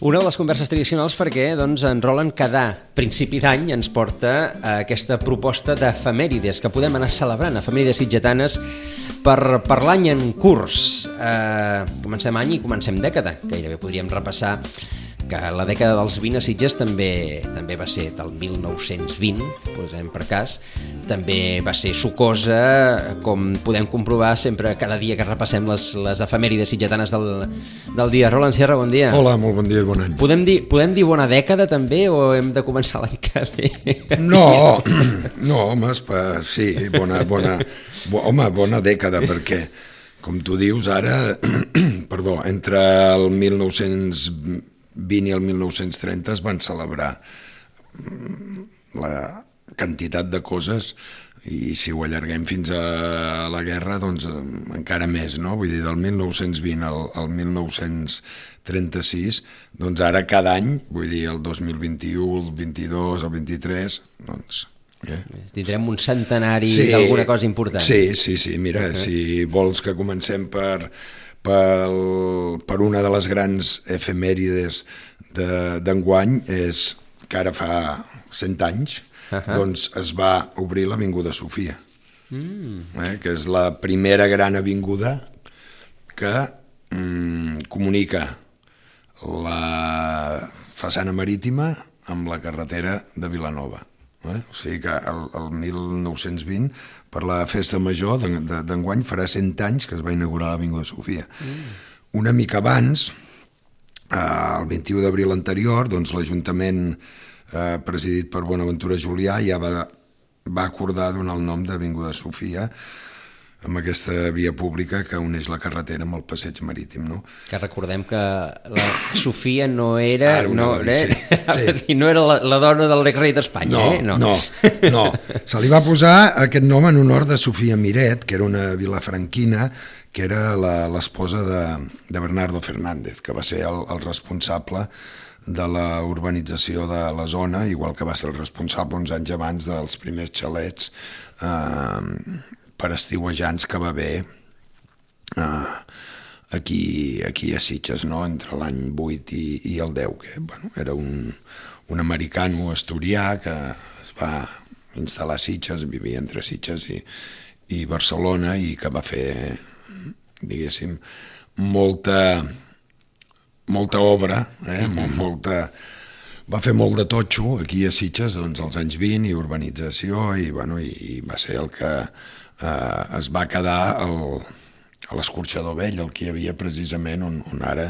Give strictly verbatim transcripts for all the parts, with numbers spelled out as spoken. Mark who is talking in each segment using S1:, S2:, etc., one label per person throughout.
S1: Una de les converses tradicionals perquè doncs, en Roland cada principi d'any ens porta a aquesta proposta d'efemèrides que podem anar celebrant, efemèrides sitgetanes per, per l'any en curs. Eh, comencem any i comencem dècada, gairebé podríem repassar que la dècada dels vint a Sitges també, també va ser del mil nou-cents vint, posem per cas, també va ser sucosa, com podem comprovar sempre cada dia que repassem les, les efemèrides sitgetanes del, del dia. Roland Sierra, bon dia.
S2: Hola, molt bon dia i bon any.
S1: Podem dir, podem dir bona dècada també o hem de començar l'any que ve?
S2: No, no, home, espa, sí, bona, bona, bo, home, bona dècada, perquè, com tu dius, ara, perdó, entre el mil nou-cents vint i el mil nou-cents trenta es van celebrar la quantitat de coses i si ho allarguem fins a la guerra, doncs encara més, no? Vull dir, del mil nou-cents vint al, al mil nou-cents trenta-sis, doncs ara cada any, vull dir, el dos mil vint-i-u, el vint-i-dos, el vint-i-tres, doncs... Eh?
S1: Tindrem un centenari sí, d'alguna cosa important.
S2: Sí, sí, sí, mira, uh-huh. Si vols que comencem per... Pel, per una de les grans efemèrides d'enguany és que ara fa cent anys uh-huh. doncs es va obrir l'Avinguda Sofia, mm. eh, que és la primera gran avinguda que mm, comunica la façana marítima amb la carretera de Vilanova. Eh? O sigui que el, el mil nou-cents vint, per la festa major d'enguany, farà cent anys que es va inaugurar l'Avinguda Sofia. Mm. Una mica abans, eh, el vint-i-u d'abril anterior, doncs l'Ajuntament eh, presidit per Bonaventura Julià ja va, va acordar donar el nom d'Avinguda Sofia amb aquesta via pública que uneix la carretera amb el passeig marítim, no?
S1: Que recordem que la Sofia no era, ah, no,
S2: dir,
S1: eh? sí, sí. no era la, la dona del rei d'Espanya,
S2: no,
S1: eh? No,
S2: no, no. Se li va posar aquest nom en honor de Sofia Miret, que era una vilafranquina, que era l'esposa de, de Bernardo Fernández, que va ser el, el responsable de la urbanització de la zona, igual que va ser el responsable uns anys abans dels primers xalets eh, per estiuejants que va haver eh, aquí, aquí a Sitges, no? Entre l'any vuit i, i el deu, que bueno, era un, un americano asturià que es va instal·lar a Sitges, vivia entre Sitges i, i Barcelona i que va fer, diguéssim, molta, molta obra, eh? Mm-hmm. molta... Va fer molt de totxo aquí a Sitges doncs, als anys vint i urbanització i, bueno, i, i va ser el que eh, es va quedar el, a l'escorxador vell, el que hi havia precisament on, on ara,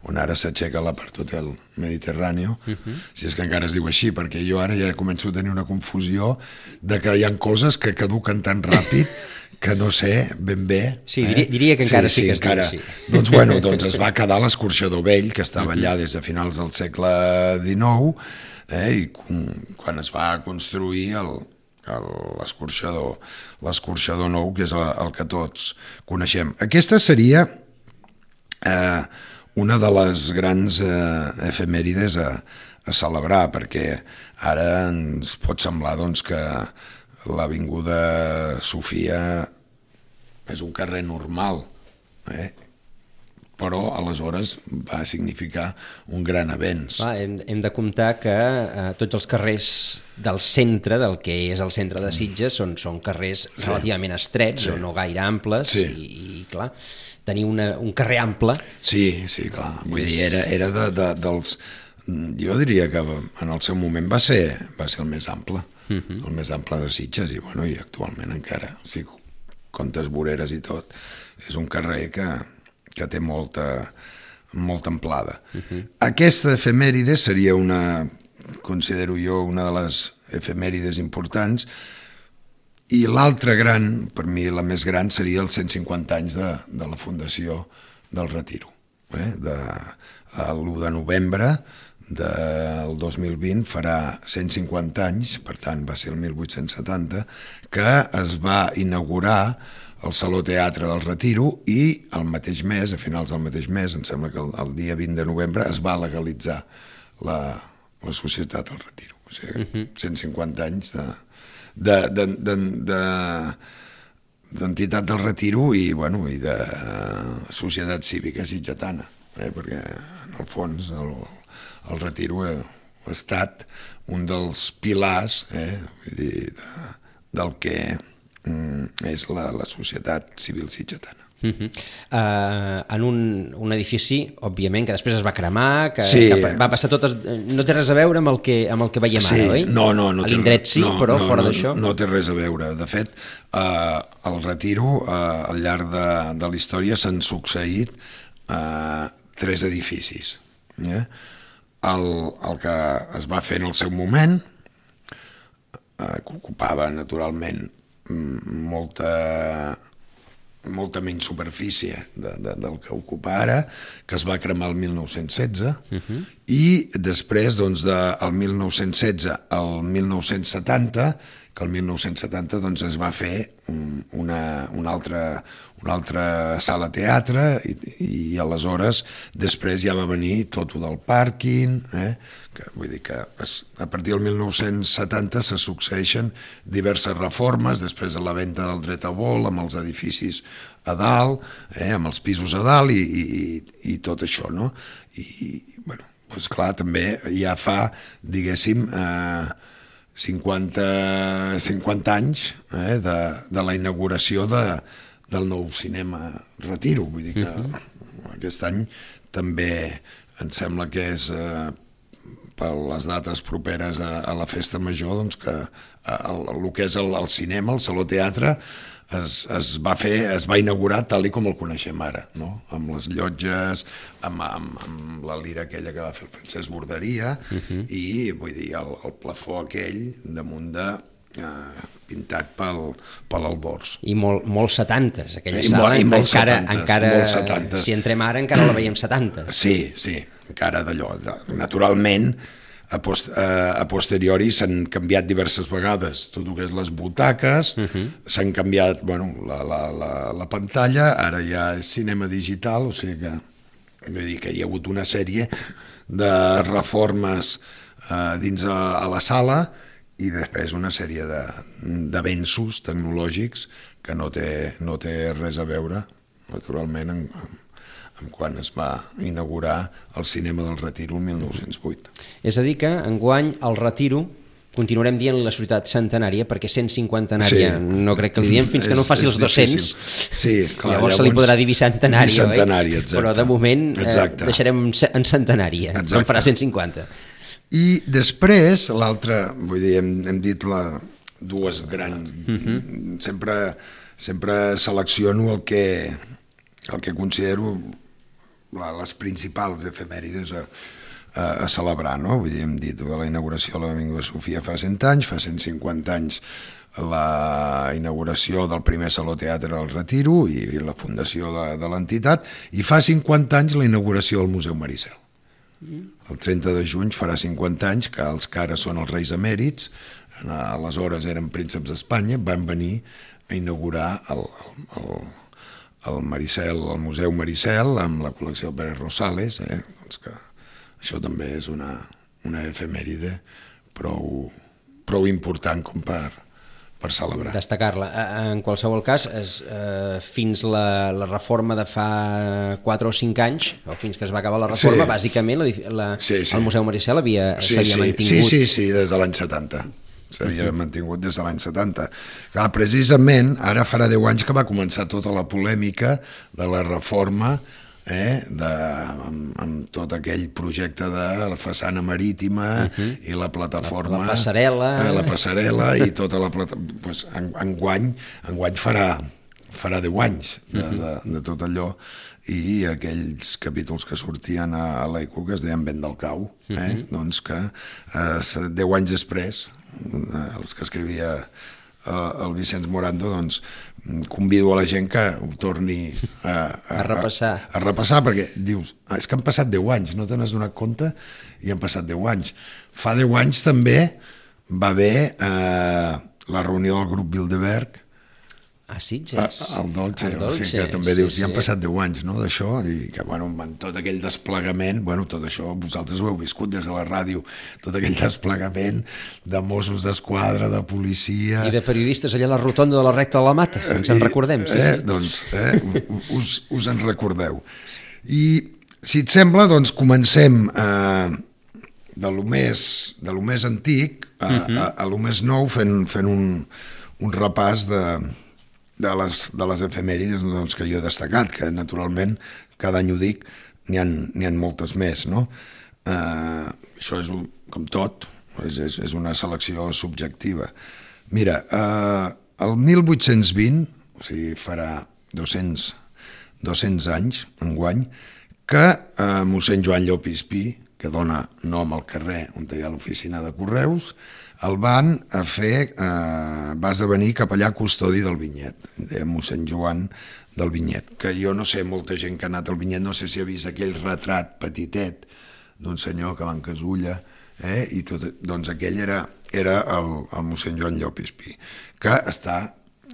S2: on ara s'aixeca la part del Mediterrani, uh-huh. Si és que encara es diu així, perquè jo ara ja començo a tenir una confusió de que hi ha coses que caduquen tan ràpid que no sé ben bé...
S1: Sí, eh? diria, diria que encara sí, sí que es encara,
S2: diu així. Doncs, bueno, doncs es va quedar l'escorxador vell, que estava allà des de finals del segle dinou, eh? I quan es va construir el, el, l'escorxador, l'escorxador nou, que és el, el que tots coneixem. Aquesta seria eh, una de les grans eh, efemèrides a, a celebrar, perquè ara ens pot semblar doncs, que l'Avinguda Sofia és un carrer normal, eh? Però aleshores va significar un gran avenç.
S1: Va, hem, hem de comptar que eh, tots els carrers del centre, del que és el centre de Sitges, són, són carrers sí. relativament estrets, sí. o no gaire amples, sí. i, i clar, tenir una, un carrer ample...
S2: Sí, sí, clar, vull dir, era, era de, de, dels... Jo diria que en el seu moment va ser, va ser el més ample, uh-huh. el més ample de Sitges, i, bueno, i actualment encara, si comptes voreres i tot, és un carrer que, que té molta, molta amplada. Uh-huh. Aquesta efemèride seria una, considero jo, una de les efemèrides importants, i l'altra gran, per mi la més gran, seria els cent cinquanta anys de, de la fundació del Retiro. Eh? De, l'u de novembre del dos mil vint farà cent cinquanta anys, per tant va ser el mil vuit-cents setanta, que es va inaugurar el Saló Teatre del Retiro i el mateix mes, a finals del mateix mes, em sembla que el, el dia vint de novembre, es va legalitzar la, la Societat del Retiro. O sigui, uh-huh. cent cinquanta anys de, de, de, de, de, d'entitat del Retiro i, bueno, i de societat cívica sitgetana, eh? Perquè en el fons el, el retiro ha, ha estat un dels pilars eh, vull dir, de, del que mm, és la, la societat civil sitgetana.
S1: Uh -huh. uh, en un, un edifici, òbviament, que després es va cremar, que,
S2: sí.
S1: que va passar tot... No té res a veure amb el que, amb el que veiem
S2: sí.
S1: ara, oi?
S2: No, no, no.
S1: A l'indret sí, no, però
S2: no,
S1: fora
S2: no,
S1: d'això...
S2: No té res a veure. De fet, eh, el retiro, eh, al llarg de, de la història, s'han succeït eh, tres edificis. Eh? El, el que es va fer en el seu moment, eh, que ocupava, naturalment, molta... molta menys superfície de, de, del que ocupa ara, que es va cremar el mil nou-cents setze, uh-huh. i després, doncs, del mil nou-cents setze al mil nou-cents setanta, que el mil nou-cents setanta doncs, es va fer una, una, altra, una altra sala teatre, i, i aleshores després ja va venir tot el del pàrquing, eh? que, vull dir que es, a partir del mil nou-cents setanta se succeeixen diverses reformes, després de la venda del dret a vol, amb els edificis a dalt, eh? amb els pisos a dalt i, i, i tot això, no? I, bueno, doncs clar, també ja fa, diguéssim, eh, cinquanta, cinquanta anys eh, de, de la inauguració de, del nou cinema Retiro. Vull dir que uh-huh. aquest any també em sembla que és eh, per les dates properes a, a la festa major, doncs que el, el que és el, el cinema, el Saló Teatre, es, es va fer, es va inaugurar tal i com el coneixem ara, no? Amb les llotges, amb, amb, amb la lira aquella que va fer el Francesc Borderia, uh-huh. i vull dir, el, el plafó aquell damunt de eh, pintat pel, pel Alborz.
S1: I molt, molt setantes, aquella
S2: I
S1: sala,
S2: molt, i molt
S1: encara,
S2: setantes,
S1: encara
S2: molt setantes.
S1: Si entrem ara encara la veiem setantes.
S2: Sí, sí, encara d'allò. Naturalment, a, post, a, a posteriori s'han canviat diverses vegades tot el que és les butaques, uh-huh. s'han canviat bueno, la, la, la, la pantalla, ara ja és cinema digital, o sigui que, vull dir que hi ha hagut una sèrie de reformes eh, dins a, a la sala i després una sèrie d'avenços tecnològics que no té, no té res a veure, naturalment, en, en quan es va inaugurar el cinema del Retiro el mil nou-cents vuit.
S1: És a dir que, enguany, el Retiro, continuarem dient la societat centenària, perquè cent cinquantenària sí. no crec que li diem fins que no faci els dos-cents.
S2: Sí, clar,
S1: llavors, llavors se li podrà dir bicentenària,
S2: bicentenària,
S1: oi? Però de moment eh, deixarem en centenària, no en farà cent cinquanta.
S2: I després, l'altre, vull dir, hem, hem dit la, dues grans... Uh-huh. Sempre, sempre selecciono el que, el que considero les principals efemèrides a, a, a celebrar, no? Vull dir, hem dit de la inauguració de l'Avinguda Sofia fa cent anys, fa cent cinquanta anys la inauguració del primer Saló Teatre del Retiro i la fundació de, de l'entitat, i fa cinquanta anys la inauguració del Museu Maricel. El trenta de juny farà cinquanta anys que els que ara són els reis emèrits, aleshores eren prínceps d'Espanya, van venir a inaugurar el, el, el Maricel, el Museu Maricel, amb la col·lecció Pérez Rosales, eh? Doncs que això també és una, una efemèride prou, prou important com per, per celebrar.
S1: Destacar-la. En qualsevol cas, es, eh, fins la, la reforma de fa quatre o cinc anys, o fins que es va acabar la reforma, sí. bàsicament la, la, sí, sí. el Museu Maricel havia,
S2: sí,
S1: s'havia
S2: sí.
S1: mantingut.
S2: Sí, sí, sí, des de l'any setanta. S'havia uh-huh. mantingut des de l'any setanta. Clar, precisament, ara farà deu anys que va començar tota la polèmica de la reforma, eh, de, amb, amb tot aquell projecte de la façana marítima uh-huh. i la plataforma...
S1: La, la passarel·la...
S2: Eh, la passarel·la i tota la plataforma... Pues, en, enguany, enguany farà, farà deu anys de, uh-huh. de, de tot allò, i aquells capítols que sortien a, a l'Eco que es deien Vent del Cau, eh? uh-huh. doncs que eh, deu anys després, eh, els que escrivia eh, el Vicenç Morando, doncs convido a la gent que ho torni a, a,
S1: a repassar.
S2: A, a repassar, perquè dius, ah, és que han passat deu anys, no te n'has donat compte, i han passat deu anys. Fa deu anys també va haver eh, la reunió del grup Bilderberg,
S1: a Sitges.
S2: El Dolce,
S1: el Dolce,
S2: o sigui que també
S1: sí,
S2: dius,
S1: sí.
S2: ja han passat deu anys, no?, d'això, i que, bueno, amb tot aquell desplegament, bueno, tot això vosaltres ho heu viscut des de la ràdio, tot aquell desplegament de Mossos d'Esquadra, de policia...
S1: I de periodistes allà a la rotonda de la Recta de la Mata, ens en recordem, sí,
S2: eh,
S1: sí.
S2: Doncs, eh, us, us en recordeu. I, si et sembla, doncs comencem eh, de lo més, de lo més antic a, uh-huh. a, a lo més nou, fent, fent un, un repàs de, de, les, de les efemèrides doncs, que jo he destacat, que naturalment, cada any ho dic, n'hi ha, n'hi ha moltes més, no? Uh, això és un, com tot, és, és, és una selecció subjectiva. Mira, uh, el mil vuit-cents vint, o sigui, farà dos-cents, dos-cents anys, enguany, que uh, mossèn Joan Llopis Pi, que dona nom al carrer on hi ha l'oficina de correus, el van a fer, eh, va esdevenir capellà custodi del Vinyet, deia mossèn Joan del Vinyet, que jo no sé, molta gent que ha anat al Vinyet, no sé si ha vist aquell retrat petitet d'un senyor que va en casulla, eh, i tot, doncs aquell era, era el, el mossèn Joan Llopis Pi, que està,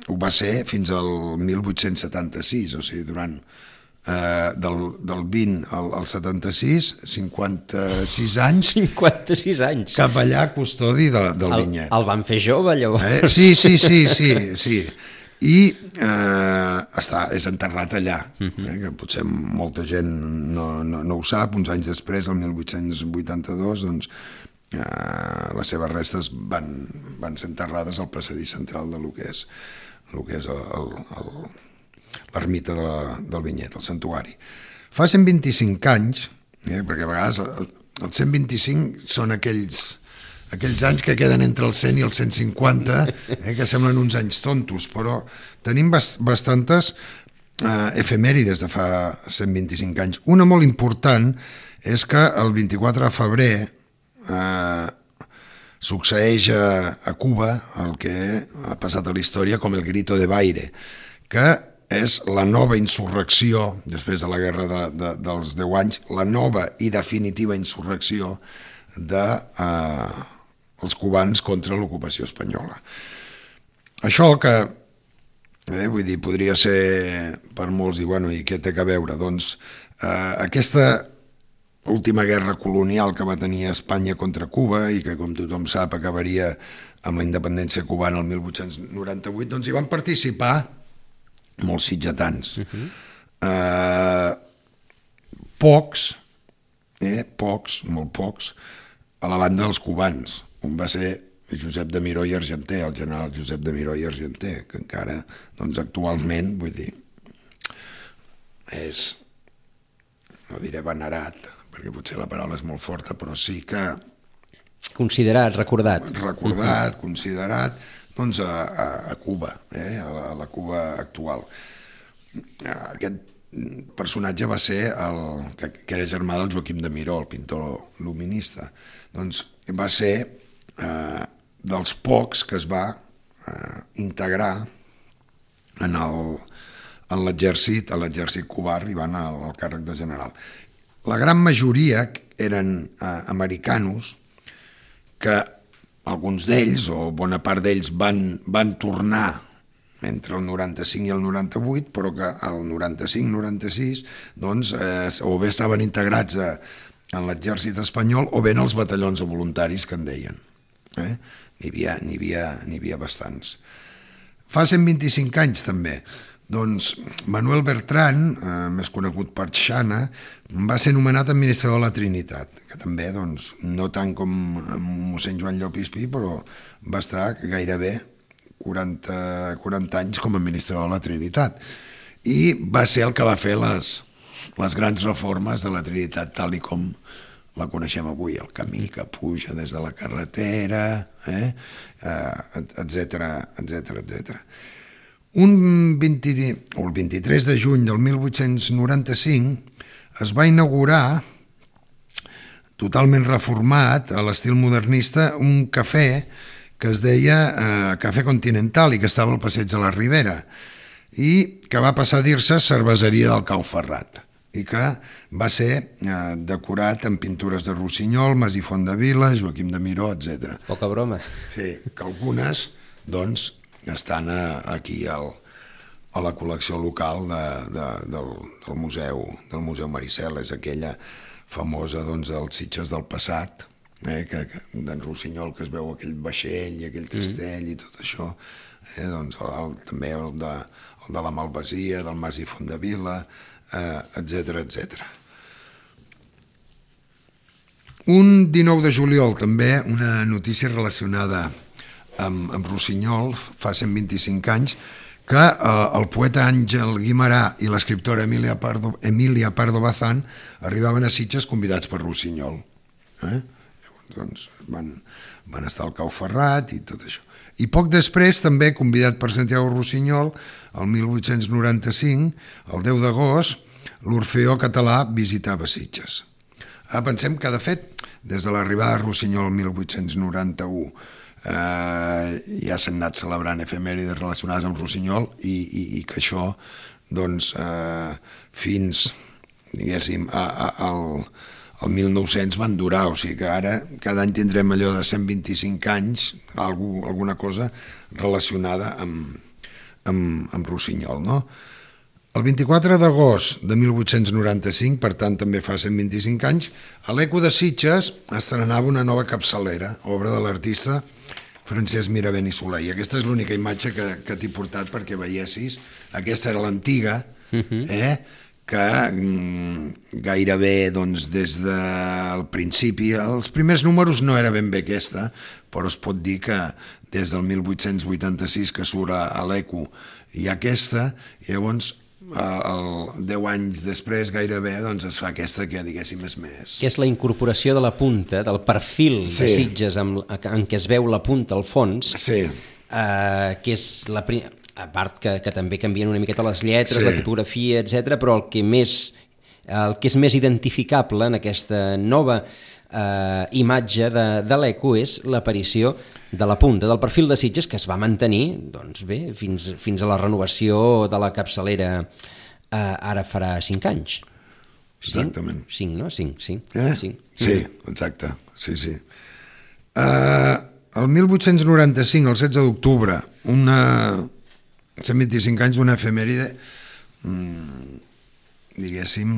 S2: ho va ser fins al mil vuit-cents setanta-sis, o sigui, durant Uh, del, del vint al, al setanta-sis, cinquanta-sis anys.
S1: cinquanta-sis anys.
S2: Capellà custodi de, del
S1: el,
S2: Vinyet.
S1: El van fer jove, llavors.
S2: Eh? Sí, sí, sí, sí, sí. I eh, està, és enterrat allà, uh-huh. eh? Que potser molta gent no, no, no ho sap. Uns anys després, el mil vuit-cents vuitanta-dos, doncs, eh, les seves restes van, van ser enterrades al passadís central de lo que és, lo que és el... el, el l'ermita de la, del Vinyet, el santuari. Fa cent vint-i-cinc anys, eh, perquè a vegades el, els cent vint-i-cinc són aquells, aquells anys que queden entre el cent i el cent cinquanta, eh, que semblen uns anys tontos, però tenim bast bastantes eh, efemèrides de fa cent vint-i-cinc anys. Una molt important és que el vint-i-quatre de febrer eh, succeeix a, a Cuba el que ha passat a la història com el Grito de Baire, que és la nova insurrecció, després de la guerra de, de, dels deu anys, la nova i definitiva insurrecció dels eh, cubans contra l'ocupació espanyola. Això que, eh, vull dir, podria ser per molts dir, bueno, i què té a veure? Doncs eh, aquesta última guerra colonial que va tenir Espanya contra Cuba i que, com tothom sap, acabaria amb la independència cubana el mil vuit-cents noranta-vuit, doncs hi van participar molts sitgetans. Uh-huh. eh, pocs, eh, pocs, molt pocs, a la banda dels cubans. Un va ser Josep de Miró i Argenter, el general Josep de Miró i Argenter, que encara, doncs, actualment, vull dir, és, no diré venerat, perquè potser la paraula és molt forta, però sí que...
S1: Considerat, recordat.
S2: Recordat, uh-huh. considerat... doncs a, a, a Cuba, eh? a, la, a la Cuba actual. Aquest personatge va ser el que, que era germà del Joaquim de Miró, el pintor luminista. Doncs va ser eh, dels pocs que es va eh, integrar en el, en l'exèrcit, a l'exèrcit cubà, arribant al, al càrrec de general. La gran majoria eren eh, americanos que alguns d'ells, o bona part d'ells, van, van tornar entre el noranta-cinc i el noranta-vuit, però que el noranta-cinc noranta-sis doncs, eh, o bé estaven integrats a, en l'exèrcit espanyol o bé en els batallons de voluntaris que en deien. Eh? N'hi havia, n'hi havia, n'hi havia bastants. Fa cent vint-i-cinc anys també, doncs Manuel Bertran, eh, més conegut per Xana, va ser nomenat administrador de la Trinitat, que també, doncs, no tant com mossèn Joan Llopis Pi, però va estar gairebé quaranta, quaranta anys com a administrador de la Trinitat. I va ser el que va fer les, les grans reformes de la Trinitat tal i com la coneixem avui, el camí que puja des de la carretera, eh? eh, etcètera, etcètera, etcètera. Un vint, o el vint-i-tres de juny del mil vuit-cents noranta-cinc es va inaugurar, totalment reformat, a l'estil modernista, un cafè que es deia eh, Cafè Continental i que estava al passeig de la Ribera i que va passar a dir-se Cerveseria del Cau Ferrat i que va ser eh, decorat amb pintures de Rossinyol, Mas i Fondavila, Joaquim de Miró, etcètera.
S1: Poca broma.
S2: Sí, que algunes, doncs, estan aquí al, a la col·lecció local de, de, del, del museu del Museu Maricel, és aquella famosa doncs, dels Sitges del passat, eh, que, que d'en Rossinyol, que es veu aquell vaixell i aquell castell mm. i tot això, eh, doncs, el, també el de, el de la Malvasia, del Mas i Fondavila, eh, etcètera, etcètera. Un dinou de juliol també, una notícia relacionada amb, amb Rossinyol, fa cent vint-i-cinc anys, que eh, el poeta Àngel Guimerà i l'escriptora Emília Pardo, Emília Pardo Bazán arribaven a Sitges convidats per Rossinyol. Eh? Llavors, doncs, van, van estar al Cau Ferrat i tot això. I poc després, també convidat per Santiago Rossinyol, el mil vuit-cents noranta-cinc, el deu d'agost, l'Orfeó Català visitava Sitges. Ah, pensem que, de fet, des de l'arribada de Rossinyol el mil vuit-cents noranta-u eh, ja s'han anat celebrant efemèrides relacionades amb Rossinyol i, i, i que això, doncs, eh, fins, diguéssim, a, a, al, al mil nou-cents van durar, o sigui que ara cada any tindrem allò de cent vint-i-cinc anys, algú, alguna cosa relacionada amb, amb, amb Rossinyol, no? El vint-i-quatre d'agost de mil vuit-cents noranta-cinc, per tant també fa cent vint-i-cinc anys, a l'Eco de Sitges estrenava una nova capçalera, obra de l'artista Francesc Miravent i Soler. I aquesta és l'única imatge que, que t'he portat perquè veiessis. Aquesta era l'antiga, eh? que mm, gairebé doncs, des del principi, els primers números no era ben bé aquesta, però es pot dir que des del mil vuit-cents vuitanta-sis que surt a, a l'Eco hi ha aquesta, i llavors el deu anys després gairebé doncs es fa aquesta que diguéssim és més...
S1: Que és la incorporació de la punta, del perfil sí. de Sitges amb, en què es veu la punta al fons,
S2: sí.
S1: eh, que és la... a part que, que també canvien una miqueta les lletres, sí. la tipografia, etcètera, però el que, més, el que és més identificable en aquesta nova eh, imatge de, de l'Eco és l'aparició de la punta, del perfil de Sitges, que es va mantenir doncs bé, fins, fins a la renovació de la capçalera eh, ara farà cinc anys.
S2: Exactament.
S1: Cinc, cinc no? Cinc, cinc.
S2: Eh?
S1: cinc.
S2: Sí, exacte. Sí, sí. Uh, el mil vuit-cents noranta-cinc, el setze d'octubre, una... cent vint-i-cinc anys d'una efemèride, mmm, diguéssim,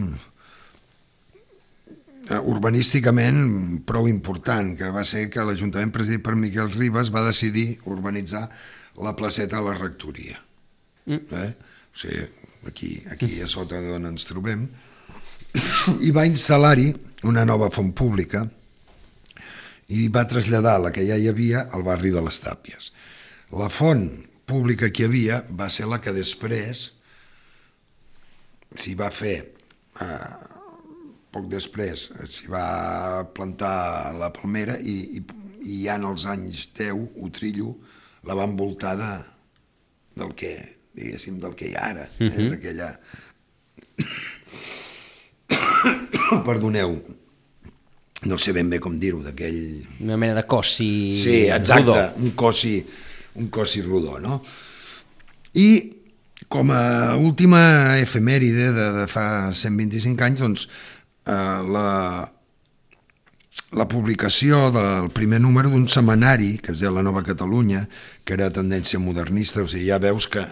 S2: urbanísticament prou important, que va ser que l'Ajuntament presidit per Miquel Ribas va decidir urbanitzar la placeta de la rectoria. Mm. Eh? O sigui, aquí, aquí a sota d'on ens trobem, i va instal·lar-hi una nova font pública i va traslladar la que ja hi havia al barri de les Tàpies. La font pública que hi havia va ser la que després s'hi va fer... Eh, poc després s'hi va plantar la palmera i, i, i ja en els anys deu, Utrillo la va envoltar de, del que, diguéssim, del que hi ha ara, uh-huh. eh, d'aquella... Perdoneu, no sé ben bé com dir-ho, d'aquell...
S1: Una mena de cossi
S2: sí, exacte,
S1: rodó.
S2: un cossi, un cossi rodó, no? I com a última efemèride de, de fa cent vint-i-cinc anys, doncs, Uh, la, la publicació del primer número d'un setmanari que es deia La Nova Catalunya, que era tendència modernista, o sigui, ja veus que,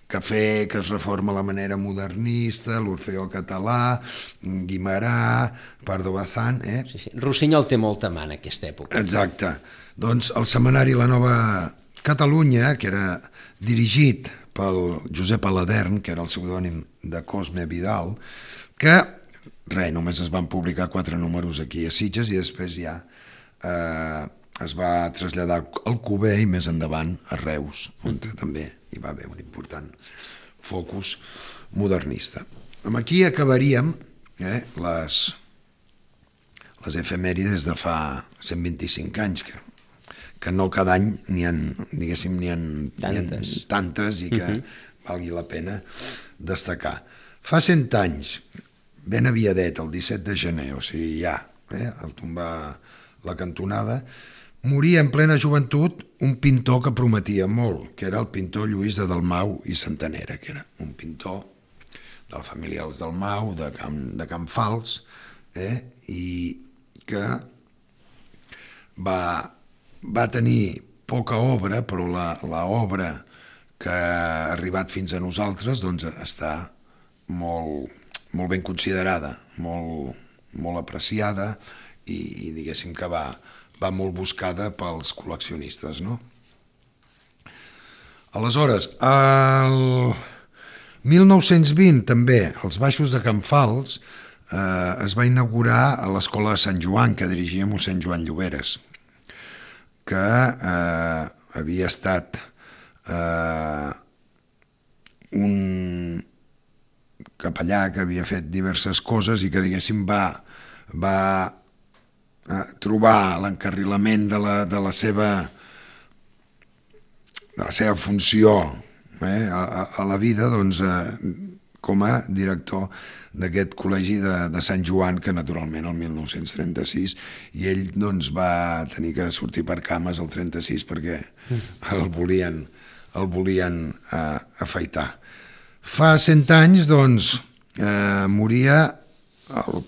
S2: que fer que es reforma la manera modernista, l'Orfeó Català, Guimerà, Pardo Bazán... Eh?
S1: Sí, sí. Rossinyol té molta mà en aquesta època.
S2: Exacte. Doncs el setmanari La Nova Catalunya, que era dirigit pel Josep Aladern, que era el pseudònim de Cosme Vidal, que res, només es van publicar quatre números aquí a Sitges i després ja eh, es va traslladar al Cuber i més endavant a Reus, on també hi va haver un important focus modernista. Amb aquí acabaríem eh, les, les efemèrides de fa cent vint-i-cinc anys, que, que no cada any n'hi ha, diguéssim, n'hi ha tantes. tantes i que uh-huh. valgui la pena destacar. Fa cent anys, ben aviadet, el disset de gener, o sigui, ja, eh, al tombar la cantonada, moria en plena joventut un pintor que prometia molt, que era el pintor Lluís de Dalmau i Santanera, que era un pintor de la família dels Dalmau, de Camp, de Camp Fals, eh, i que va, va tenir poca obra, però la, la obra que ha arribat fins a nosaltres doncs, està molt... molt ben considerada, molt, molt apreciada i, i diguéssim que va, va molt buscada pels col·leccionistes, no? Aleshores, el mil nou-cents vint també, als baixos de Can Fals, eh, es va inaugurar a l'Escola de Sant Joan, que dirigia mossèn Joan Lloberes, que eh, havia estat eh, un capellà que havia fet diverses coses i que, diguéssim, va, va eh, trobar l'encarrilament de la, de la seva de la seva funció eh, a, a la vida, doncs, eh, com a director d'aquest col·legi de, de Sant Joan, que naturalment el mil nou-cents trenta-sis, i ell doncs, va tenir que sortir per cames el trenta-sis perquè el volien, el volien eh, afaitar. Fa cent anys, doncs, eh, moria el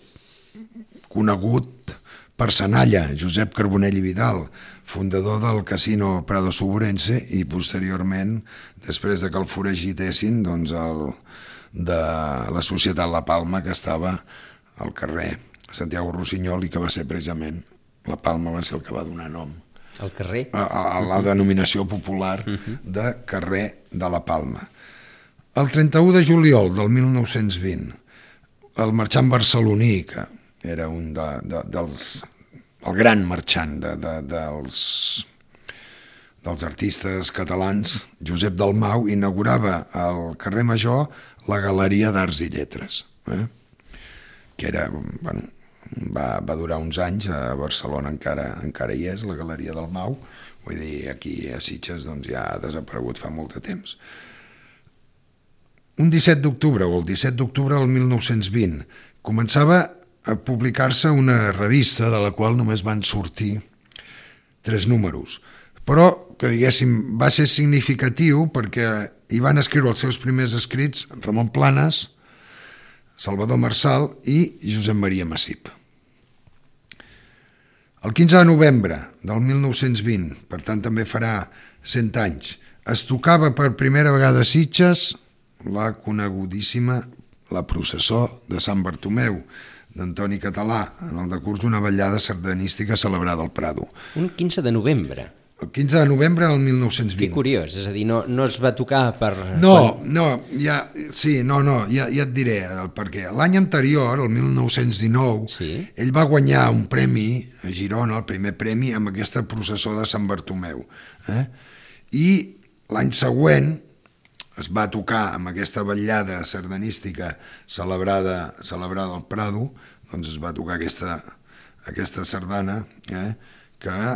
S2: conegut personalla, Josep Carbonell i Vidal, fundador del casino Prado Suburense, i posteriorment, després de que el foragitessin, doncs el, de la Societat La Palma, que estava al carrer Santiago Rossinyol i que va ser precisament, La Palma va ser el que va donar nom
S1: al carrer,
S2: a, a la denominació popular de carrer de La Palma. El trenta-u de juliol del mil nou-cents vint, el marxant barceloní, que era un de, de, dels el gran marxant de, de, dels, dels artistes catalans, Josep Dalmau, inaugurava al carrer Major la Galeria d'Arts i Lletres, eh? que era, bueno, va, va durar uns anys, a Barcelona encara, encara hi és, la Galeria Dalmau, vull dir, aquí a Sitges doncs, ja ha desaparegut fa molt de temps. Un disset d'octubre, o el disset d'octubre del mil nou-cents vint, començava a publicar-se una revista de la qual només van sortir tres números, però que, diguéssim, va ser significatiu perquè hi van escriure els seus primers escrits Ramon Planes, Salvador Marçal i Josep Maria Massip. El quinze de novembre del mil nou-cents vint, per tant també farà cent anys, es tocava per primera vegada a Sitges la conegudíssima La processó de Sant Bartomeu, d'Antoni Català, en el decurs d'una vetllada sardanística celebrada al Prado.
S1: Un quinze de novembre.
S2: El quinze de novembre del mil nou-cents vint.
S1: Que curiós, és a dir, no, no es va tocar per...
S2: No, quan... no, ja, sí, no, no, ja, ja et diré el per què. L'any anterior, el mil nou-cents dinou, sí? Ell va guanyar un premi a Girona, el primer premi, amb aquesta processó de Sant Bartomeu. Eh? I l'any següent es va tocar amb aquesta vetllada sardanística celebrada, celebrada al Prado, doncs es va tocar aquesta, aquesta sardana eh, que ha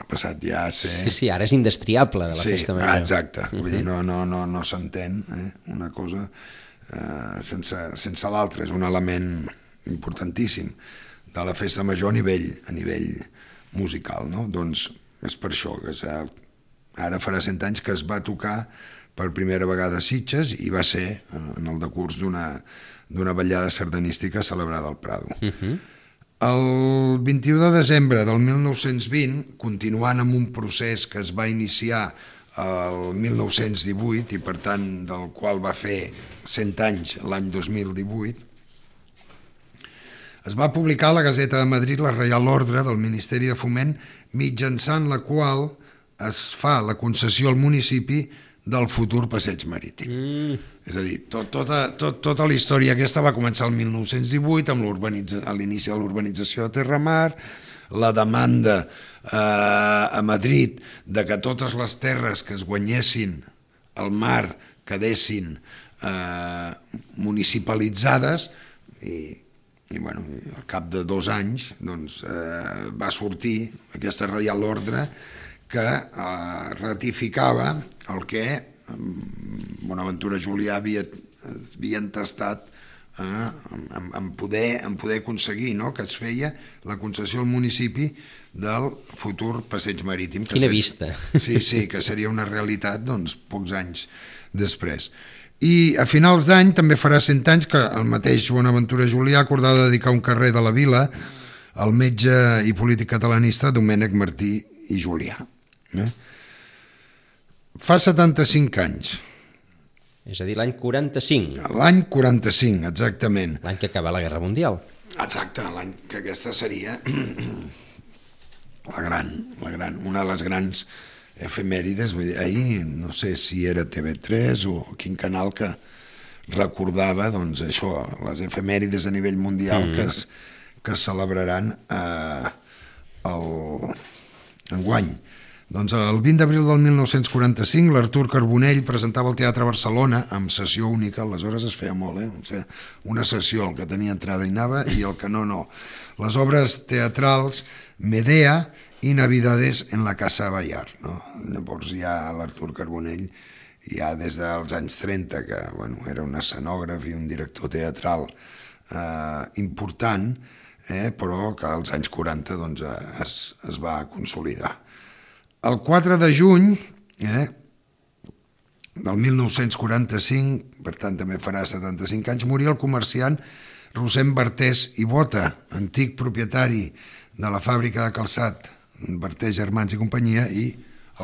S2: passat ja a ser...
S1: Sí, sí, ara és indestriable de la
S2: sí,
S1: festa major.
S2: Exacte, vull dir, no, no, no, no s'entén eh, una cosa eh, sense, sense l'altra, és un element importantíssim de la festa major a nivell, a nivell musical, no? Doncs és per això que ara farà cent anys que es va tocar per primera vegada a Sitges i va ser en el decurs d'una d'una vetllada sardanística celebrada al Prado. Uh-huh. El vint-i-u de desembre del mil nou-cents vint, continuant amb un procés que es va iniciar el mil nou-cents divuit i per tant del qual va fer cent anys l'any dos mil divuit, es va publicar a la Gazeta de Madrid la Reial Ordre del Ministeri de Foment, mitjançant la qual es fa la concessió al municipi del futur passeig marítim. Mm. És a dir, tot, tota, tot, tota la història aquesta va començar el mil nou-cents divuit amb a l'inici de l'urbanització de Terramar, la demanda eh, a Madrid de que totes les terres que es guanyessin al mar quedessin eh, municipalitzades i, i bueno, al cap de dos anys doncs, eh, va sortir aquesta Reial Ordre que eh, ratificava el que Bonaventura Julià havia, havia entestat eh, en, en, poder, en poder aconseguir, no? Que es feia la concessió al municipi del futur passeig marítim.
S1: Quina seria, vista!
S2: Sí, sí, que seria una realitat doncs, pocs anys després. I a finals d'any també farà cent anys que el mateix Bonaventura Julià acordava dedicar un carrer de la vila al metge i polític catalanista Domènec Martí i Julià. Eh? Fa setanta-cinc anys.
S1: És a dir, l'any quaranta-cinc.
S2: L'any quaranta-cinc, exactament.
S1: L'any que acaba la Guerra Mundial.
S2: Exacte, l'any que aquesta seria la gran, la gran, una de les grans efemèrides. Vull dir, ahir no sé si era T V tres o quin canal que recordava doncs, això, les efemèrides a nivell mundial mm. que, es, que es celebraran eh, el, enguany. Doncs el vint d'abril del mil nou-cents quaranta-cinc l'Artur Carbonell presentava al Teatre Barcelona amb sessió única, aleshores es feia molt, eh? O sigui, una sessió, el que tenia entrada i anava i el que no, no. Les obres teatrals Medea i Navidades en la Casa Bayard. No? Llavors ja l'Artur Carbonell, ja des dels anys trenta, que bueno, era un escenògraf i un director teatral eh, important, eh, però que als anys quaranta doncs, es, es va consolidar. El quatre de juny eh, del mil nou-cents quaranta-cinc, per tant també farà setanta-cinc anys, moria el comerciant Rossend Bartés i Bota, antic propietari de la fàbrica de calçat Bartés, Germans i companyia, i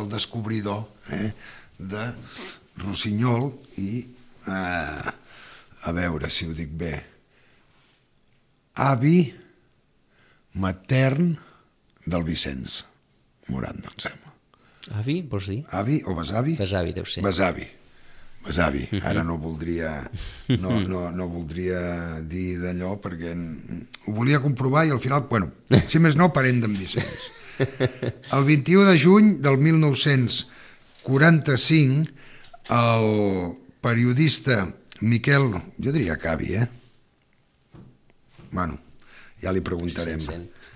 S2: el descobridor eh, de Rossinyol i, eh, a veure si ho dic bé, avi matern del Vicenç Morant, em sembla.
S1: Avi, vols dir?
S2: Avi o besavi?
S1: Besavi, deu ser.
S2: Besavi. Besavi. Ara no voldria, no, no, no voldria dir d'allò perquè ho volia comprovar i al final, bueno, si més no, parent d'en Vicenç. El vint-i-u de juny del mil nou-cents quaranta-cinc el periodista Miquel, jo diria que avi, eh? Bueno, ja li preguntarem.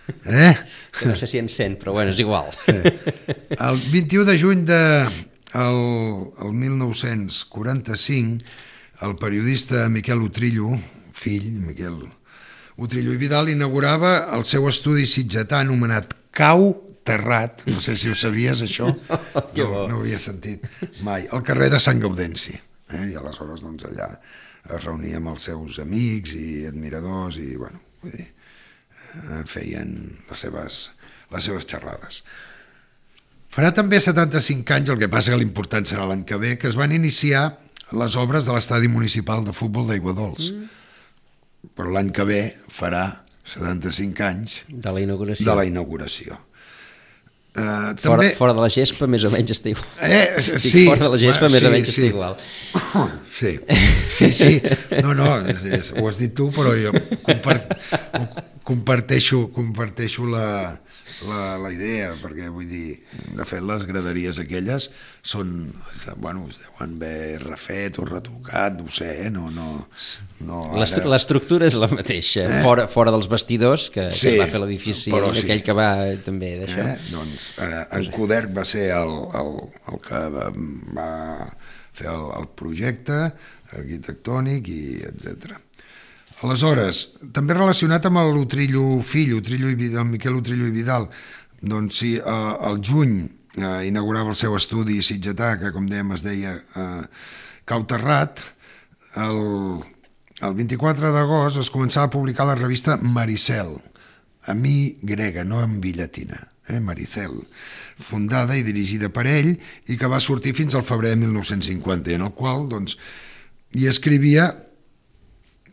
S2: Eh?
S1: Que no sé si en sent, però bueno, és igual.
S2: Eh. El vint-i-u de juny de el, el mil nou-cents quaranta-cinc el periodista Miquel Utrillo, fill, Miquel Utrillo i Vidal, inaugurava el seu estudi sitgetà anomenat Cau Terrat, no sé si ho sabies això, no, no ho havia sentit mai, al carrer de Sant Gaudenci, eh? I aleshores doncs, allà es reunia amb els seus amics i admiradors i bueno, vull dir, feien les seves, les seves xerrades. Farà també setanta-cinc anys, el que passa que l'important serà l'any que ve, que es van iniciar les obres de l'estadi municipal de futbol d'Aiguadols. Mm. Però l'any que ve farà setanta-cinc anys
S1: de la inauguració.
S2: De la inauguració. Uh,
S1: fora,
S2: també...
S1: fora de la gespa més o menys està igual.
S2: Eh,
S1: Dic,
S2: sí,
S1: fora de la gespa
S2: sí,
S1: més o menys
S2: sí.
S1: està igual.
S2: Sí, sí, sí. No, no, és, és, ho has dit tu, però jo compart, comparteixo, comparteixo la, la, la idea, perquè vull dir, de fet les graderies aquelles són, bueno, es deuen haver refet o retocat, no ho sé, eh? no, no, no ara...
S1: L'estructura és la mateixa, eh? fora, fora dels vestidors que,
S2: sí,
S1: que va fer l'edifici, sí. Aquell que va també d'això.
S2: Eh? Doncs eh, en Coderc va ser el, el, el que va, va fer el, el projecte arquitectònic i etcètera. Aleshores, també relacionat amb l'Utrillo fill, Utrillo i Vidal, Miquel Utrillo i Vidal, doncs sí, eh, el juny eh, inaugurava el seu estudi sitgetà, que com dèiem es deia eh, Cau Terrat. El, el vint-i-quatre d'agost es començava a publicar la revista Maricel, a mi grega, no en vi llatina, eh, Maricel, fundada i dirigida per ell i que va sortir fins al febrer de mil nou-cents cinquanta, en el qual doncs, hi escrivia,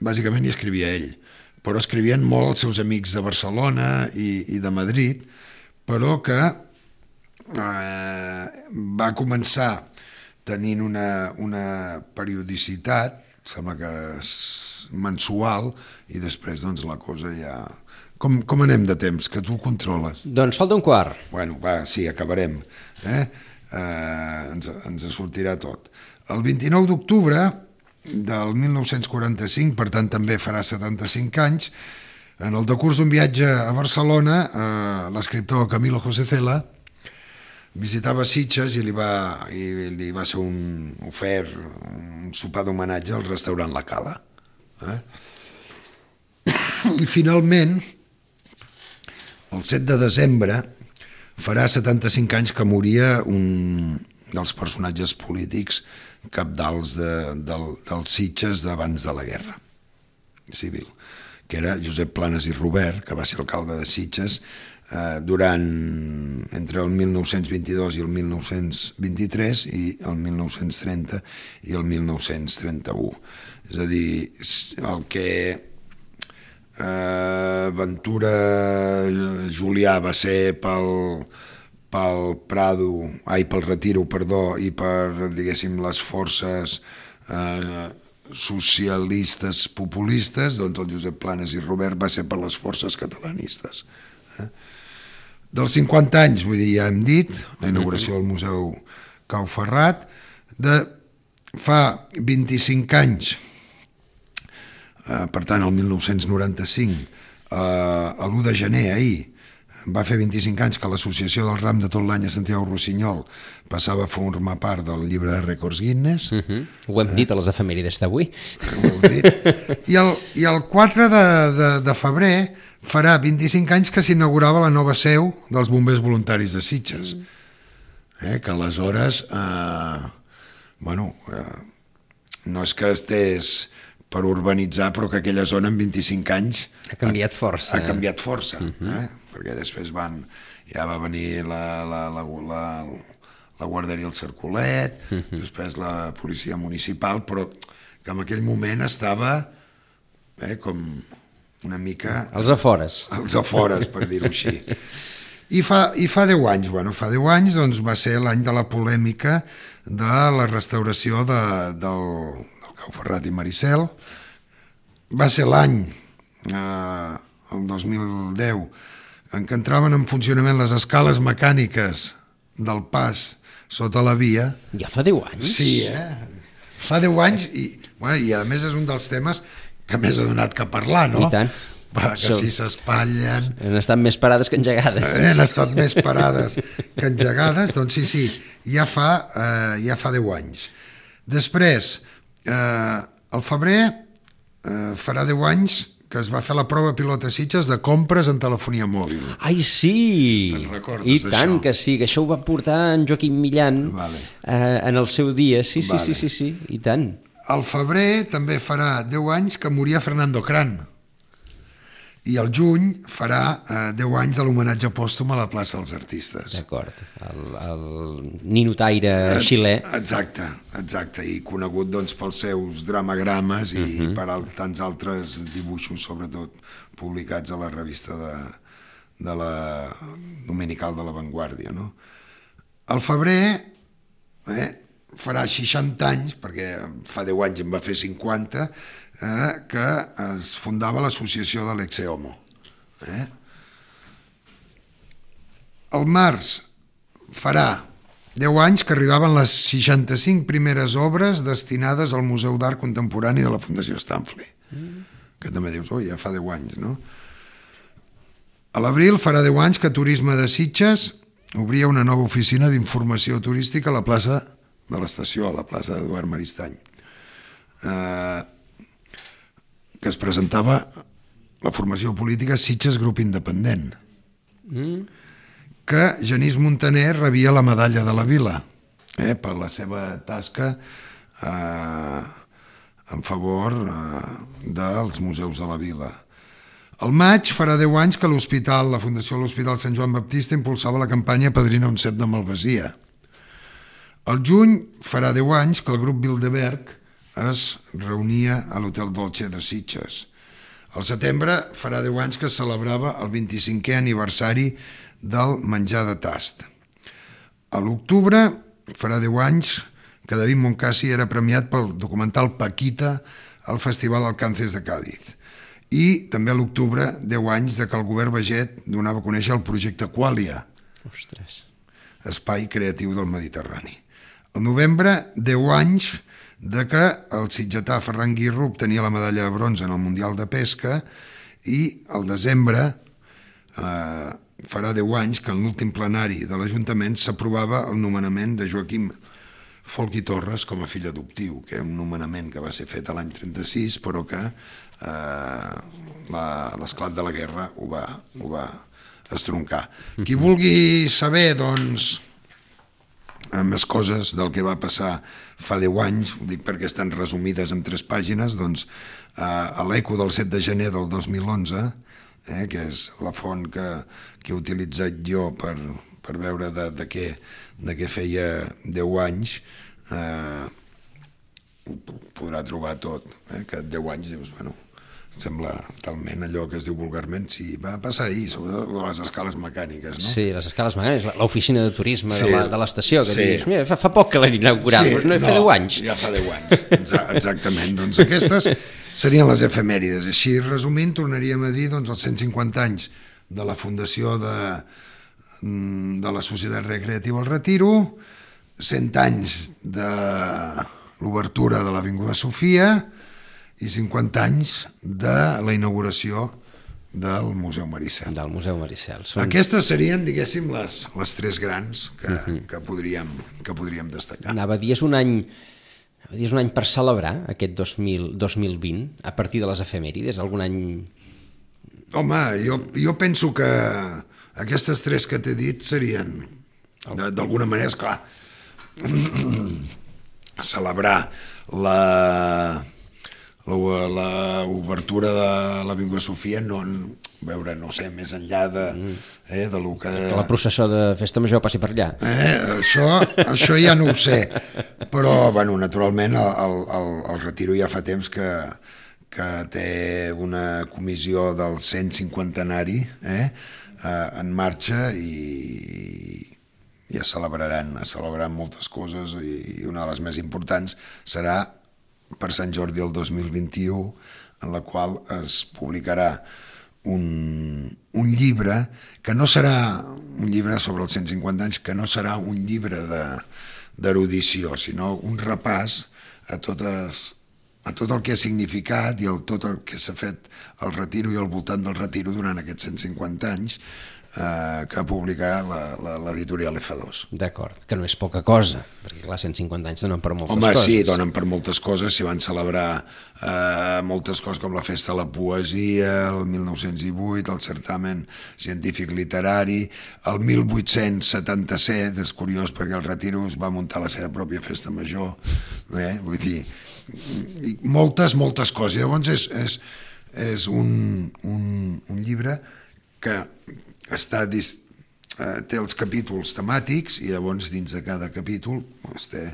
S2: bàsicament hi escrivia ell, però escrivien molt els seus amics de Barcelona i, i de Madrid, però que eh, va començar tenint una, una periodicitat, sembla que mensual, i després doncs, la cosa ja... Com, com anem de temps, que tu controles?
S1: Doncs falta un quart.
S2: Bueno, va, sí, acabarem. Eh? Eh, ens, ens sortirà tot. El vint-i-nou d'octubre del mil nou-cents quaranta-cinc, per tant també farà setanta-cinc anys, en el decurs d'un viatge a Barcelona, eh, l'escriptor Camilo José Cela visitava Sitges i li va, i li va ser un ofert, un sopar d'homenatge al restaurant La Cala. Eh? I finalment, el set de desembre, farà setanta-cinc anys que moria un dels personatges polítics cabdals de, del, dels Sitges d'abans de la guerra civil, que era Josep Planas i Robert, que va ser alcalde de Sitges eh, durant entre el mil nou-cents vint-i-dos i el mil nou-cents vint-i-tres i el mil nou-cents trenta i el mil nou-cents trenta-u. És a dir, el que eh, Ventura Julià va ser pel, pel Prado, ai, pel Retiro, perdó, i per, diguéssim, les forces eh, socialistes populistes, doncs el Josep Planes i Robert va ser per les forces catalanistes. Eh? Dels cinquanta anys, vull dir, ja hem dit, la inauguració del Museu Cau Ferrat, de fa vint-i-cinc anys, eh, per tant, el mil nou-cents noranta-cinc, eh, a l'u de gener, ahir, va fer vint-i-cinc anys que l'Associació del Ram de tot l'any a Santiago Rossinyol passava a formar part del llibre de rècords Guinness.
S1: Uh -huh. Ho hem dit a les efemèrides d'avui.
S2: Ho heu dit. I el, i el quatre de, de, de febrer farà vint-i-cinc anys que s'inaugurava la nova seu dels bombers voluntaris de Sitges. Eh, que aleshores, eh, bueno, eh, no és que estés per urbanitzar, però que aquella zona en vint-i-cinc anys
S1: ha canviat força.
S2: Ha, ha canviat força,
S1: uh -huh.
S2: eh? Perquè després van, ja va venir la, la, la, la, la guarderia El Cercolet, uh -huh. després la policia municipal, però que en aquell moment estava eh, com una mica...
S1: Als afores.
S2: Als afores, per dir-ho així. I fa, I fa deu anys, bueno, fa deu anys doncs, va ser l'any de la polèmica de la restauració de, del, del Cau Ferrat i Maricel. Va ser l'any, eh, el dos mil deu, en què entraven en funcionament les escales mecàniques del pas sota la via.
S1: Ja fa deu anys?
S2: Sí, eh? Fa deu anys i, bueno, i a més és un dels temes que més ha donat que parlar, no?
S1: I tant.
S2: Va, que si s'espatllen...
S1: Han estat més parades que engegades.
S2: Han estat més parades que engegades, doncs sí, sí, ja fa, eh, ja fa deu anys. Després, eh, al febrer eh, farà deu anys que es va fer la prova pilot a Sitges de compres en telefonia mòbil.
S1: Ai, sí!
S2: Te'n recordes
S1: I tant
S2: d'això?
S1: que sí, que això ho va portar en Joaquim Millan
S2: Vale.
S1: eh, en el seu dia. Sí, sí,
S2: Vale.
S1: sí, sí, sí, i tant.
S2: Al febrer també farà deu anys que moria Fernando Cran. I al juny farà eh, deu anys de l'homenatge pòstum a la plaça dels Artistes.
S1: D'acord. El, el ninotaire xilè.
S2: Exacte, exacte. I conegut doncs, pels seus dramagrames i, uh -huh. i per al, tants altres dibuixos, sobretot publicats a la revista de, de la dominical de La Vanguardia. No? Al febrer eh, farà seixanta anys, perquè fa deu anys en va fer cinquanta, eh, que es fundava l'associació de l'Exehomo. Eh? Al març farà deu anys que arribaven les seixanta-cinc primeres obres destinades al Museu d'Art Contemporani de la Fundació Stanley. Mm. Que també dius, oi, ja fa deu anys, no? A l'abril farà deu anys que Turisme de Sitges obria una nova oficina d'informació turística a la plaça de l'estació, a la plaça d'Eduard Maristany, eh, que es presentava la formació política Sitges Grup Independent, mm. que Genís Montaner rebia la medalla de la Vila eh, per la seva tasca eh, en favor eh, dels museus de la Vila. Al maig farà deu anys que l'hospital, la Fundació de l'Hospital Sant Joan Baptista impulsava la campanya Padrina un cep de Malvasia. Al juny farà deu anys que el grup Bilderberg es reunia a l'Hotel Dolce de Sitges. Al setembre farà deu anys que es celebrava el vint-i-cinquè aniversari del menjar de tast. A l'octubre farà deu anys que David Moncasi era premiat pel documental Paquita al Festival Alcances de Càdiz. I també a l'octubre deu anys de que el govern Baget donava a conèixer el projecte Qualia,
S1: Ostres.
S2: Espai Creatiu del Mediterrani. Al novembre, deu anys de que el sitgetà Ferran Guirro obtenia la medalla de bronze en el Mundial de Pesca i al desembre eh, farà deu anys que en l'últim plenari de l'Ajuntament s'aprovava el nomenament de Joaquim Folch i Torres com a fill adoptiu, que és un nomenament que va ser fet a l'any trenta-sis, però que eh, l'esclat de la guerra ho va, ho va estroncar. Qui vulgui saber, doncs, més coses del que va passar fa deu anys, ho dic perquè estan resumides en tres pàgines, doncs, eh, a l'Eco del set de gener del dos mil onze, eh, que és la font que, que he utilitzat jo per, per veure de, de, què, de què feia deu anys, eh, ho podrà trobar tot, eh, que deu anys dius, bueno, sembla talment allò que es diu vulgarment, sí, va passar ahir, sobretot les escales mecàniques, no?
S1: Sí, les escales mecàniques, l'oficina de turisme
S2: Sí,
S1: de l'estació, que
S2: sí.
S1: dius, mira, fa, fa poc que l'han inaugurat,
S2: Sí,
S1: doncs no, fa deu anys.
S2: Ja fa deu anys, Exa- exactament. Doncs aquestes serien les efemèrides. Així, resumint, tornaríem a dir doncs, els cent cinquanta anys de la fundació de, de la Societat Recreativa El Retiro, cent anys de l'obertura de l'Avinguda Sofia i cinquanta anys de la inauguració del Museu Maricel.
S1: Del Museu Maricel. Són...
S2: Aquestes serien, diguéssim, les, les tres grans que, uh-huh. que, podríem, que podríem destacar.
S1: Anava a dir, és un any, anava a dir, és un any per celebrar aquest dos mil, dos mil vint, a partir de les efemèrides, algun any...
S2: Home, jo, jo penso que aquestes tres que t'he dit serien, d'alguna manera, esclar, celebrar la... l'obertura de l'Avinguda Sofia, no, veure, no sé, més enllà de, eh, de lo que...
S1: Que la processó de Festa Major passi per allà.
S2: Eh, això, això ja no ho sé, però, bueno, naturalment, el, el, el Retiro ja fa temps que, que té una comissió del cent cinquantenari eh, en marxa i, i es celebraran, es celebraran moltes coses i una de les més importants serà per Sant Jordi el dos mil vint-i-u, en la qual es publicarà un, un llibre que no serà un llibre sobre els cent cinquanta anys, que no serà un llibre d'erudició, sinó un repàs a, totes, a tot el que ha significat i el, tot el que s'ha fet al Retiro i al voltant del Retiro durant aquests cent cinquanta anys, eh, que ha publicat l'editorial F dos.
S1: D'acord, que no és poca cosa, perquè clar, cent cinquanta anys donen per moltes
S2: Home,
S1: coses.
S2: Home, sí, donen per moltes coses, s'hi van celebrar eh, moltes coses com la Festa de la Poesia, el mil nou-cents divuit, el certamen científic literari, el mil vuit-cents setanta-set, és curiós perquè el Retiro es va muntar la seva pròpia festa major, eh? Vull dir, moltes, moltes coses. Llavors és, és, és un, un, un llibre que està dis, eh, té els capítols temàtics i llavors dins de cada capítol doncs, té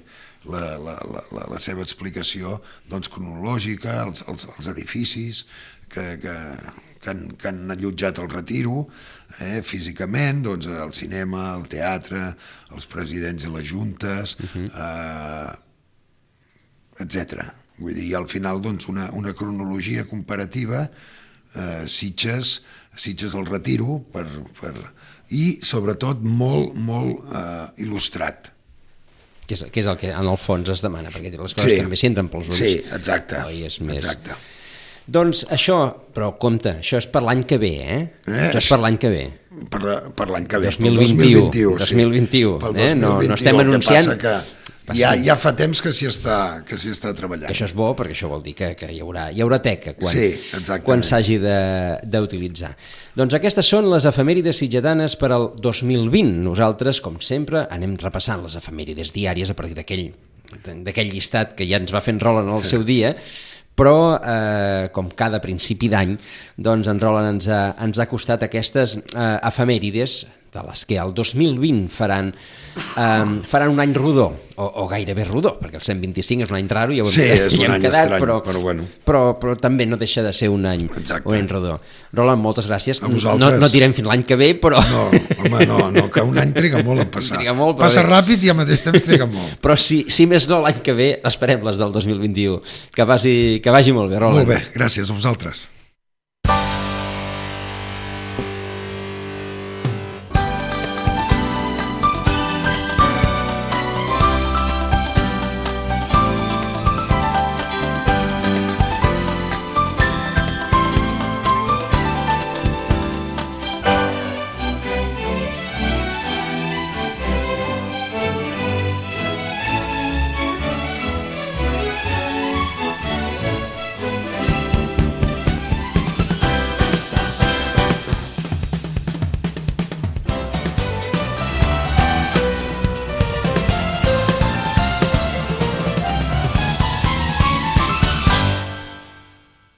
S2: la, la, la, la seva explicació doncs, cronològica, els, els, els edificis que, que, que, han, que han allotjat el Retiro eh, físicament, doncs, el cinema, el teatre, els presidents i les juntes, uh-huh. eh, etcètera. Vull dir, al final doncs, una, una cronologia comparativa, eh, Sitges, Sitges al Retiro, per, per, i sobretot molt, molt eh, il·lustrat.
S1: Que és, que és el que en el fons es demana, perquè les coses sí. també s'entren pels ulls.
S2: Sí, exacte.
S1: Oi, és més...
S2: exacte.
S1: Doncs això, però compte, això és per l'any que ve, eh? eh això és per l'any que ve.
S2: Per, per l'any que ve,
S1: dos mil vint-i-u, dos mil vint-u,
S2: sí.
S1: eh? No, no estem anunciant...
S2: Que ja, ja fa temps que s'hi està, que s'hi està treballant.
S1: Que això és bo, perquè això vol dir que, que hi haurà, hi haurà teca quan,
S2: sí,
S1: quan s'hagi d'utilitzar. Doncs aquestes són les efemèrides sitgetanes per al dos mil vint. Nosaltres, com sempre, anem repassant les efemèrides diàries a partir d'aquell d'aquell llistat que ja ens va fent Roland al seu dia, però eh, com cada principi d'any, doncs en Roland ens ha, ens ha costat aquestes eh, efemèrides de les que el dos mil vint faran, eh, faran un any rodó, o, o gairebé rodó, perquè el cent vint-i-cinc és un any raro, ja ho hem,
S2: sí, és
S1: ja
S2: un
S1: hem
S2: any
S1: quedat,
S2: estrany,
S1: però,
S2: però, bueno.
S1: però, però també no deixa de ser un any, un any rodó. Roland, moltes gràcies. No, no tirem fins l'any que ve, però...
S2: No, home, no, no, que un any triga molt a passar.
S1: Molt,
S2: Passa
S1: bé.
S2: ràpid i al mateix temps triga molt.
S1: Però si, si més no, l'any que ve esperem les del dos mil vint-i-u. Que vagi, que vagi molt bé, Roland.
S2: Molt bé, gràcies a vosaltres.